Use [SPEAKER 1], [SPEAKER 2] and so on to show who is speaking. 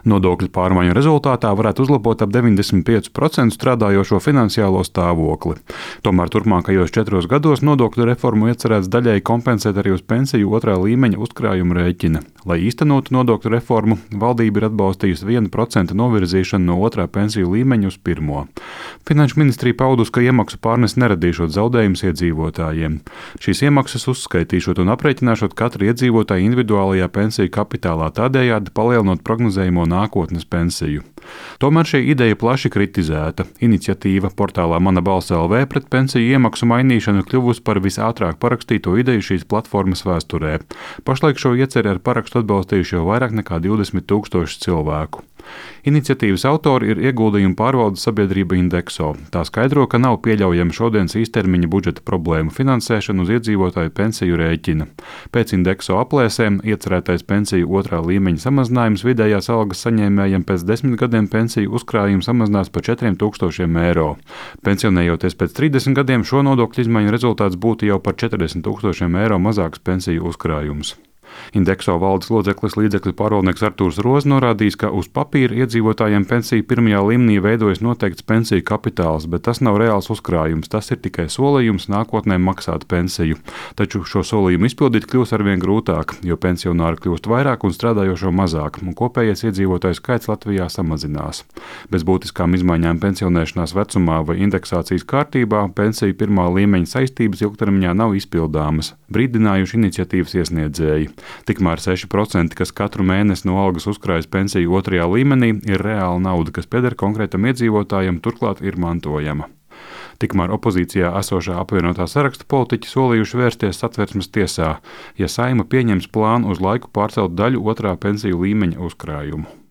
[SPEAKER 1] Nodokļu pārmaiņu rezultātā varētu uzlabot ap 95% strādājošo finansiālo stāvokli. Tomēr turpmākajos 4 gados nodokļu reformu iecerēts daļēji kompensēt arī uz pensiju otrā līmeņa uzkrājuma rēķina. Lai īstenotu nodokļu reformu, valdība ir atbalstījusi 1% novirzīšanu no otrā pensiju līmeņa uz pirmo. Finanšu ministrija paudusi, ka iemaksu pārnes neradīšot zaudējumus iedzīvotājiem. Šīs iemaksas uzskaitīšot un aprēķināšot katru iedzīvotāju individuālajā pensiju kapitālā, tādējādi palielinot prognozējamo nākotnes pensiju. Tomēr šī ideja plaši kritizēta. Iniciatīva portālā Mana balss LV pret pensiju iemaksu mainīšanu kļuvusi par visātrāk parakstīto ideju šīs platformas vēsturē. Pašlaik šo ieceri ar parakstu atbalstījuši jau vairāk nekā 20 000 cilvēku. Iniciatīvas autori ir ieguldījumu pārvaldes sabiedrība Indexo. Tā skaidro, ka nav pieļaujama šodienas īstermiņa budžeta problēmu finansēšana uz iedzīvotāju pensiju rēķina. Pēc Indexo aplēsēm iecerētais pensiju otrā līmeņa samazinājums vidējās algas saņēmējiem pēc 10 gadiem pensiju uzkrājumu samazinās par 4000 eiro. Pensionējoties pēc 30 gadiem, šo nodokļu izmaiņu rezultāts būtu jau par 40 000 eiro mazāks pensiju uzkrājums. Indexo valdes loceklis līdzekļu pārvaldnieks Artūrs Rozs norādījis, ka uz papīra iedzīvotājiem pensiju pirmajā līmenī veidojas noteikts pensiju kapitāls, bet tas nav reāls uzkrājums, tas ir tikai solījums nākotnē maksāt pensiju. Taču šo solījumu izpildīt kļūs arvien grūtāk, jo pensionāri kļūst vairāk un strādājošo mazāk, un kopējais iedzīvotāju skaits Latvijā samazinās. Bez būtiskām izmaiņām pensionēšanās vecumā vai indeksācijas kārtībā pensiju pirmā līmeņa saistības ilgtermiņā nav izpildāmas, brīdinājuši iniciatīvas iesniedzēji. Tikmēr 6%, kas katru mēnesi no algas uzkrājas pensiju otrajā līmenī, ir reāla nauda, kas pieder konkrētam iedzīvotājam, turklāt ir mantojama. Tikmēr opozīcijā esošā apvienotā saraksta politiķi solījuši vērsties Satversmes tiesā, ja Saeima pieņems plānu uz laiku pārcelt daļu otrā pensiju līmeņa uzkrājumu.